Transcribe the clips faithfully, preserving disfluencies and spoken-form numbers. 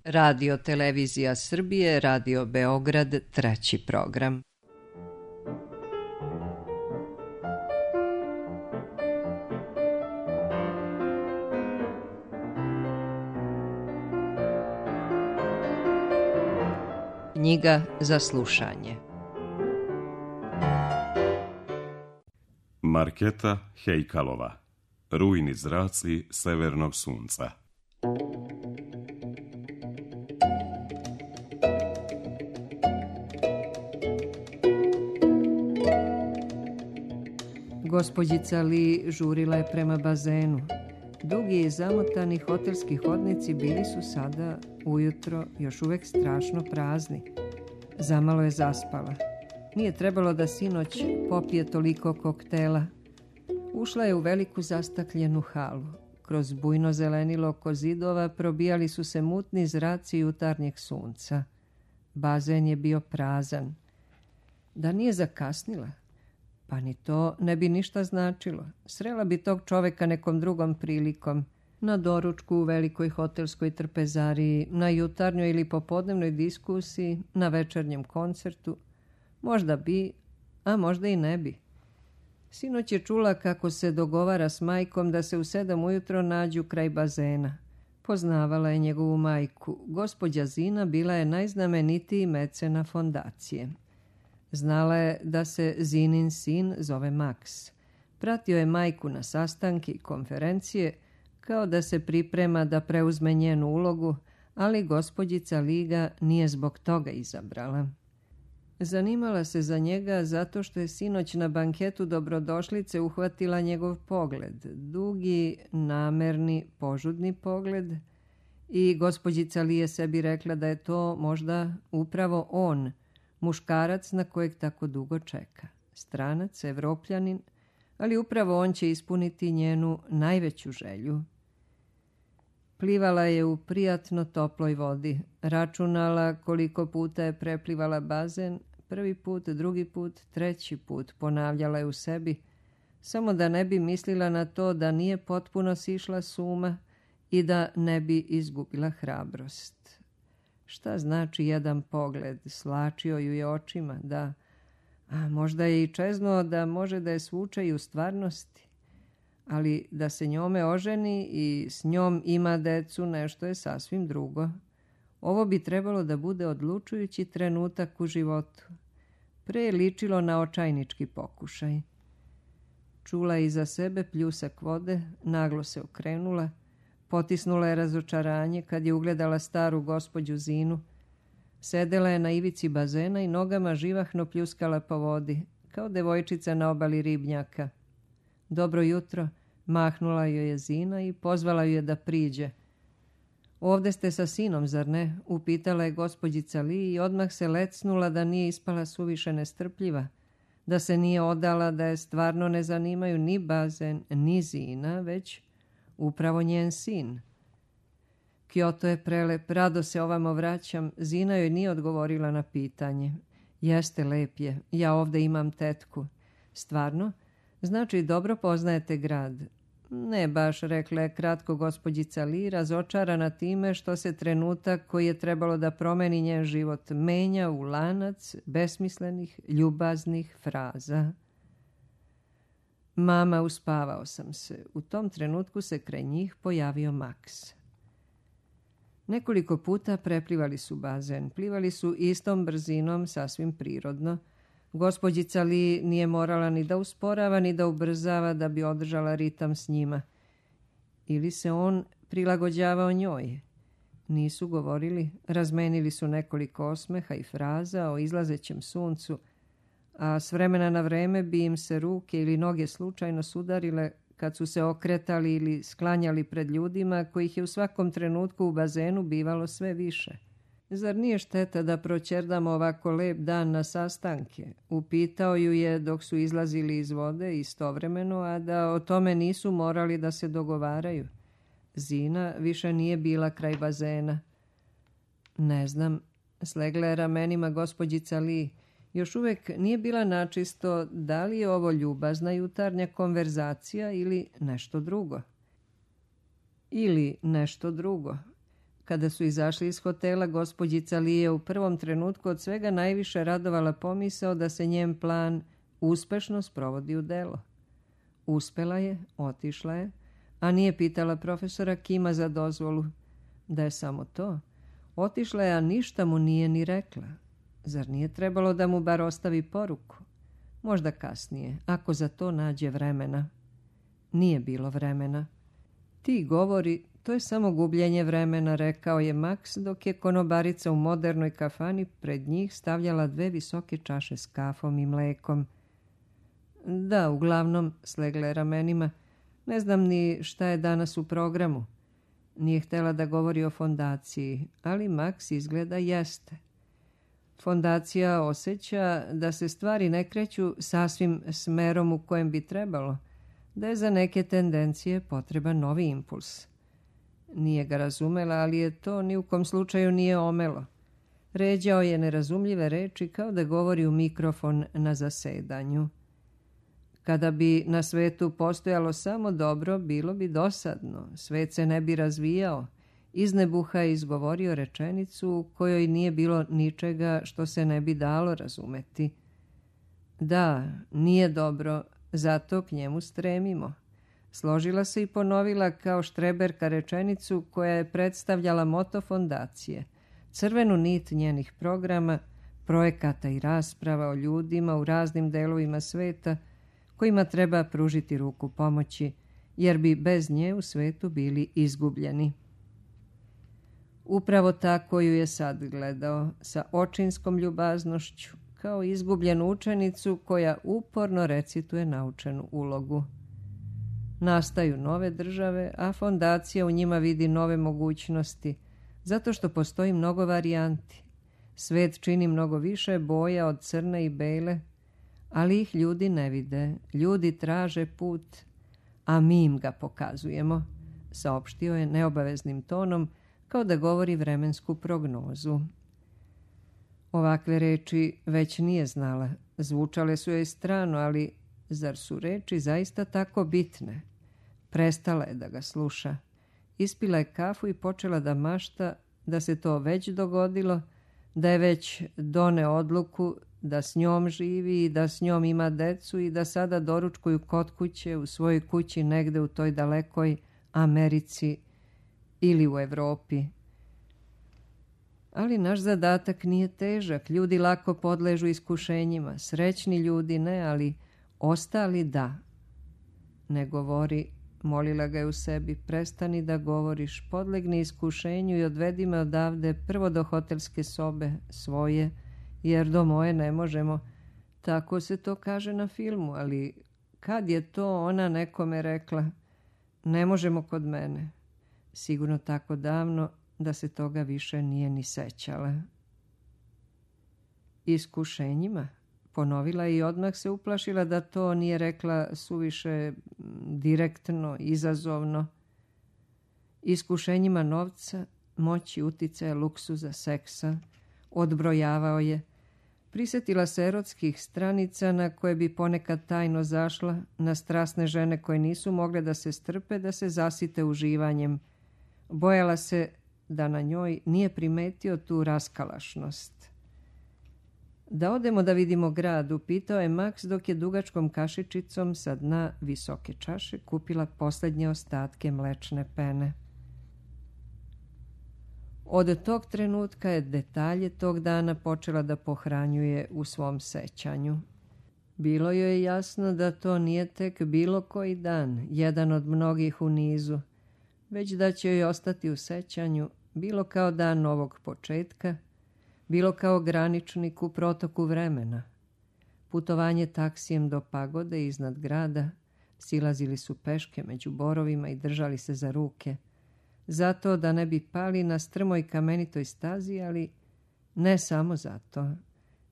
Radio Televizija Srbije, Radio Beograd, treći program. Knjiga za slušanje. Marketa Hejkalova. Rujni zraci severnog sunca. Gospođica Li žurila je prema bazenu. Dugi i zamotani hotelski hodnici bili su sada, ujutro, još uvek strašno prazni. Zamalo je zaspala. Nije trebalo da sinoć popije toliko koktela. Ušla je u veliku zastakljenu halu. Kroz bujno zelenilo oko zidova probijali su se mutni zraci jutarnjeg sunca. Bazen je bio prazan. Da nije zakasnila? Pa ni to ne bi ništa značilo. Srela bi tog čoveka nekom drugom prilikom. Na doručku u velikoj hotelskoj trpezariji, na jutarnjoj ili popodnevnoj diskusiji, na večernjem koncertu. Možda bi, a možda i ne bi. Sinoć je čula kako se dogovara s majkom da se u sedam ujutro nađu kraj bazena. Poznavala je njegovu majku. Gospođa Zina bila je najznamenitiji mecena fondacije. Znala je da se Zinin sin zove Maks. Pratio je majku na sastanke i konferencije, kao da se priprema da preuzme njenu ulogu, ali gospođica Liga nije zbog toga izabrala. Zanimala se za njega zato što je sinoć na banketu dobrodošlice uhvatila njegov pogled, dugi, namerni, požudni pogled, i gospođica Li je sebi rekla da je to možda upravo on, muškarac na kojeg tako dugo čeka. Stranac, Evropljanin, ali upravo on će ispuniti njenu najveću želju. Plivala je u prijatno toploj vodi. Računala koliko puta je preplivala bazen, prvi put, drugi put, treći put, ponavljala je u sebi, samo da ne bi mislila na to da nije potpuno sišla s uma i da ne bi izgubila hrabrost. Šta znači jedan pogled? Slačio ju je očima, da, a možda je i čeznuo da može da je svuče i u stvarnosti. Ali da se njome oženi i s njom ima decu, nešto je sasvim drugo. Ovo bi trebalo da bude odlučujući trenutak u životu. Pre je ličilo na očajnički pokušaj. Čula je iza sebe pljusak vode, naglo se okrenula, potisnula je razočaranje kad je ugledala staru gospođu Zinu. Sedela je na ivici bazena i nogama živahno pljuskala po vodi, kao devojčica na obali ribnjaka. Dobro jutro, mahnula joj je Zina i pozvala ju je da priđe. Ovde ste sa sinom, zar ne? Upitala je gospođica Li i odmah se lecnula da nije ispala suviše nestrpljiva, da se nije odala da je stvarno ne zanimaju ni bazen, ni Zina, već upravo njen sin. Kyoto je prelep, rado se ovamo vraćam. Zina joj nije odgovorila na pitanje. Jeste, lep je, ja ovde imam tetku. Stvarno? Znači, dobro poznajete grad. Ne baš, rekla je kratko gospođica Li, razočarana time što se trenutak koji je trebalo da promeni njen život menja u lanac besmislenih, ljubaznih fraza. Mama, uspavao sam se. U tom trenutku se kraj njih pojavio Maks. Nekoliko puta preplivali su bazen. Plivali su istom brzinom, sasvim prirodno. Gospođica Li nije morala ni da usporava, ni da ubrzava da bi održala ritam s njima. Ili se on prilagođavao njoj. Nisu govorili, razmenili su nekoliko osmeha i fraza o izlazećem suncu, a s vremena na vreme bi im se ruke ili noge slučajno sudarile kad su se okretali ili sklanjali pred ljudima kojih je u svakom trenutku u bazenu bivalo sve više. Zar nije šteta da proćerdamo ovako lep dan na sastanke? Upitao ju je dok su izlazili iz vode istovremeno, a da o tome nisu morali da se dogovaraju. Zina više nije bila kraj bazena. Ne znam, slegla je ramenima gospođica Li. Još uvek nije bila načisto da li je ovo ljubazna jutarnja konverzacija ili nešto drugo. Ili nešto drugo. Kada su izašli iz hotela, gospođica Li je u prvom trenutku od svega najviše radovala pomisao da se njen plan uspešno sprovodi u delo. Uspela je, otišla je, a nije pitala profesora Kima za dozvolu. Da je samo to, otišla je, a ništa mu nije ni rekla. Zar nije trebalo da mu bar ostavi poruku? Možda kasnije, ako za to nađe vremena. Nije bilo vremena. Ti govori, to je samo gubljenje vremena, rekao je Max, dok je konobarica u modernoj kafani pred njih stavljala dve visoke čaše s kafom i mlekom. Da, uglavnom, slegle ramenima, ne znam ni šta je danas u programu. Nije htjela da govori o fondaciji, ali Max izgleda jeste. Fondacija osjeća da se stvari ne kreću sasvim smerom u kojem bi trebalo, da je za neke tendencije potreban novi impuls. Nije ga razumela, ali je to ni u kom slučaju nije omelo. Ređao je nerazumljive reči kao da govori u mikrofon na zasedanju. Kada bi na svetu postojalo samo dobro, bilo bi dosadno, svet se ne bi razvijao. Iz nebuha je izgovorio rečenicu u kojoj nije bilo ničega što se ne bi dalo razumeti. Da, nije dobro, zato k njemu stremimo. Složila se i ponovila kao štreberka rečenicu koja je predstavljala moto fondacije, crvenu nit njenih programa, projekata i rasprava o ljudima u raznim delovima sveta kojima treba pružiti ruku pomoći, jer bi bez nje u svetu bili izgubljeni. Upravo tako ju je sad gledao, sa očinskom ljubaznošću, kao izgubljenu učenicu koja uporno recituje naučenu ulogu. Nastaju nove države, a fondacija u njima vidi nove mogućnosti, zato što postoji mnogo varijanti. Svet čini mnogo više boja od crne i bele, ali ih ljudi ne vide. Ljudi traže put, a mi im ga pokazujemo, saopštio je neobaveznim tonom, kao da govori vremensku prognozu. Ovakve reči već nije znala. Zvučale su joj strano, ali zar su reči zaista tako bitne? Prestala je da ga sluša. Ispila je kafu i počela da mašta da se to već dogodilo, da je već doneo odluku da s njom živi i da s njom ima decu i da sada doručkuju kod kuće u svojoj kući negde u toj dalekoj Americi ili u Evropi. Ali naš zadatak nije težak. Ljudi lako podležu iskušenjima. Srećni ljudi ne, ali ostali da. Ne govori, molila ga je u sebi, prestani da govoriš, podlegni iskušenju i odvedi me odavde prvo do hotelske sobe svoje, jer do moje ne možemo. Tako se to kaže na filmu, ali kad je to ona nekome rekla? Ne možemo kod mene. Sigurno tako davno da se toga više nije ni sećala. Iskušenjima? Ponovila i odmah se uplašila da to nije rekla suviše direktno, izazovno. Iskušenjima novca, moći, uticaja, luksuza, seksa, odbrojavao je. Prisjetila se erotskih stranica na koje bi ponekad tajno zašla, na strasne žene koje nisu mogle da se strpe, da se zasite uživanjem. Bojala se da na njoj nije primetio tu raskalašnost. Da odemo da vidimo grad, upitao je Max dok je dugačkom kašičicom sa dna visoke čaše kupila posljednje ostatke mlečne pene. Od tog trenutka je detalje tog dana počela da pohranjuje u svom sećanju. Bilo joj je jasno da to nije tek bilo koji dan, jedan od mnogih u nizu, već da će joj ostati u sećanju bilo kao dan novog početka, bilo kao graničnik u protoku vremena. Putovanje taksijem do pagode iznad grada, silazili su peške među borovima i držali se za ruke, zato da ne bi pali na strmoj kamenitoj stazi, ali ne samo zato.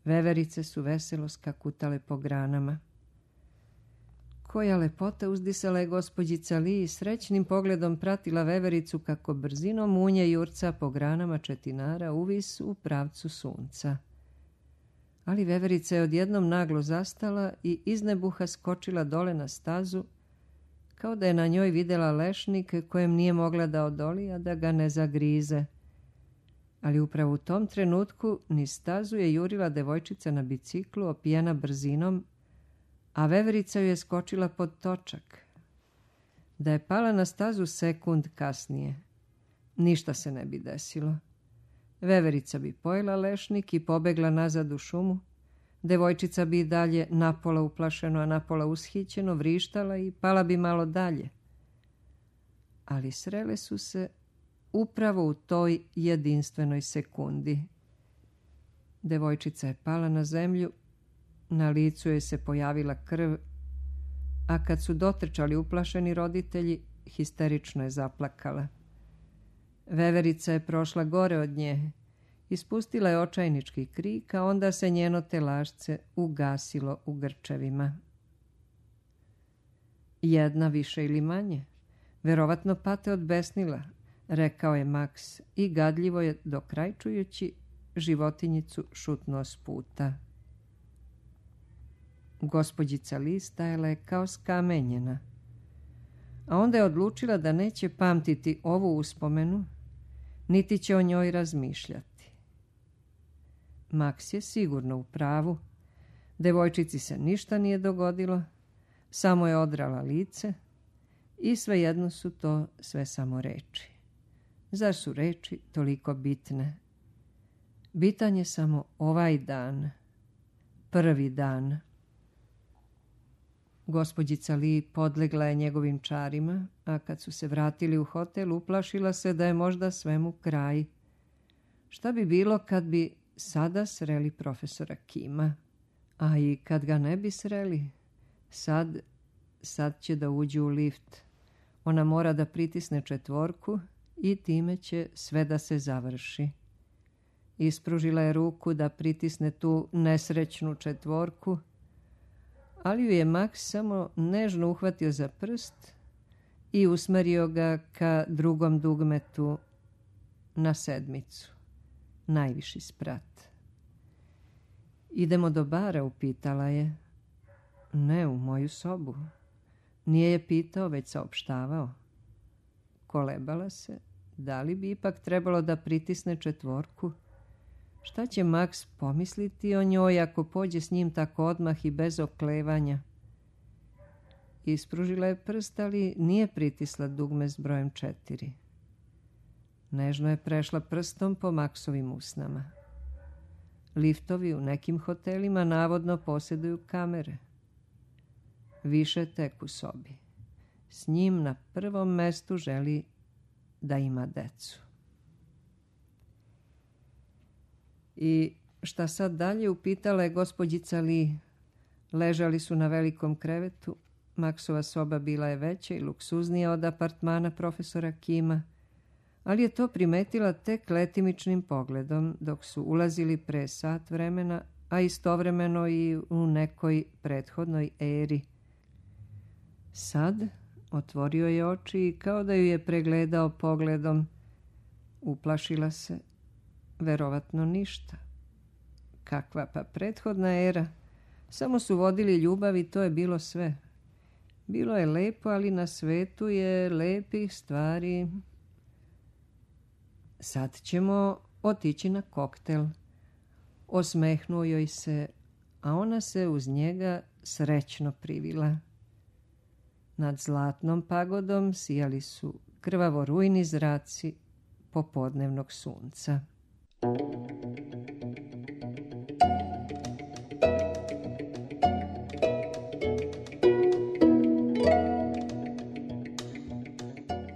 Veverice su veselo skakutale po granama. Koja lepota, uzdisala je gospođica Li i srećnim pogledom pratila vevericu kako brzinom munje jurca po granama četinara uvis u pravcu sunca. Ali veverica je odjednom naglo zastala i iz nebuha skočila dole na stazu, kao da je na njoj videla lešnik kojem nije mogla da odoli, a da ga ne zagrize. ali upravo u tom trenutku niz stazu je jurila devojčica na biciklu opijena brzinom, a veverica ju je skočila pod točak. Da je pala na stazu sekund kasnije, ništa se ne bi desilo. Veverica bi pojela lešnik i pobegla nazad u šumu, devojčica bi dalje napola uplašeno, a napola ushićeno vrištala i pala bi malo dalje. Ali srele su se upravo u toj jedinstvenoj sekundi. Devojčica je pala na zemlju, na licu joj se pojavila krv, a kad su dotrčali uplašeni roditelji, histerično je zaplakala. Veverica je prošla gore od nje, ispustila je očajnički krik, a onda se njeno telašce ugasilo u grčevima. Jedna više ili manje, verovatno pate od besnila, rekao je Maks i gadljivo je, dokrajčujući, životinjicu šutnuo s puta. Gospođica Li stajala je kao skamenjena, a onda je odlučila da neće pamtiti ovu uspomenu, niti će o njoj razmišljati. Maks je sigurno u pravu. Devojčici se ništa nije dogodilo, samo je odrala lice i svejedno su to sve samo reči. Zar su reči toliko bitne? Bitan je samo ovaj dan, prvi dan. Gospođica Li podlegla je njegovim čarima, a kad su se vratili u hotel, uplašila se da je možda svemu kraj. Šta bi bilo kad bi sada sreli profesora Kima? A i kad ga ne bi sreli, sad, sad će da uđu u lift. Ona mora da pritisne četvorku i time će sve da se završi. Ispružila je ruku da pritisne tu nesrećnu četvorku, ali ju je Maks samo nežno uhvatio za prst i usmerio ga ka drugom dugmetu na sedmicu, najviši sprat. Idemo do bara, upitala je. Ne, u moju sobu. Nije je pitao, već saopštavao. Kolebala se, da li bi ipak trebalo da pritisne četvorku? Šta će Maks pomisliti o njoj ako pođe s njim tako odmah i bez oklevanja? Ispružila je prst, ali nije pritisla dugme s brojem četiri. Nežno je prešla prstom po Maksovim usnama. Liftovi u nekim hotelima navodno posjeduju kamere. Više tek u sobi. S njim na prvom mestu želi da ima decu. I šta sad dalje, upitala je gospođica Li. Ležali su na velikom krevetu. Maksova soba bila je veća i luksuznija od apartmana profesora Kima, ali je to primetila tek letimičnim pogledom dok su ulazili pre sat vremena, a istovremeno i u nekoj prethodnoj eri. Sad otvorio je oči i kao da ju je pregledao pogledom. Uplašila se. Verovatno ništa. Kakva pa prethodna era. Samo su vodili ljubav i to je bilo sve. Bilo je lepo, ali na svetu je lepih stvari. Sad ćemo otići na koktel. Osmehnuo joj se, a ona se uz njega srećno privila. Nad zlatnom pagodom sijali su krvavo rujni zraci popodnevnog sunca.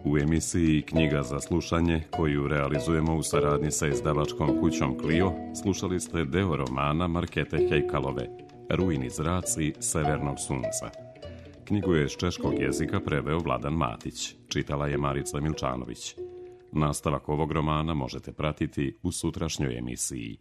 U emisiji Knjiga za slušanje, koju realizujemo u saradnji sa izdavačkom kućom Clio, slušali ste deo romana Markete Hejkalove, Rujni zraci severnog sunca. Knjigu je s češkog jezika preveo Vladan Matić, čitala je Marica Milčanović. Nastavak ovog romana možete pratiti u sutrašnjoj emisiji.